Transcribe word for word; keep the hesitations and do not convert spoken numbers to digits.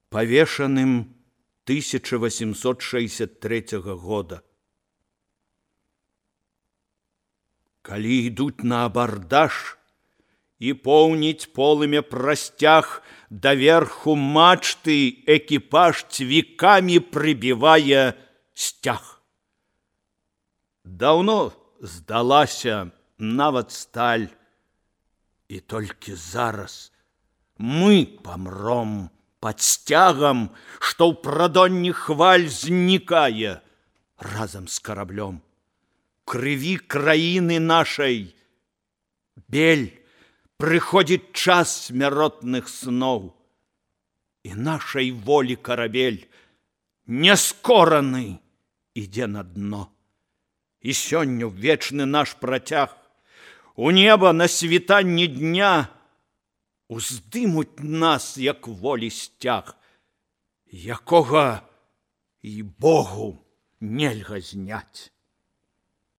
павешаным тысяча восемьсот шестьдесят третьего года. Калі ідуць на абардаж і поўніць полымя прасцяг, даверху мачты экіпаж цвікамі прыбівае сцяг. Даўно здалася нават сталь, і толькі зараз мы памром пад сцягам, што ў прадонні хваль знікае разам з караблём. Крыві краіны нашай бель, прыходзіць час смяротных сноў, і нашай волі карабель няскораны ідзе на дно. І сёння вечны наш працяг у неба на світанні дня уздымуць нас, як волі сцяг, якога і Богу нельга зняць.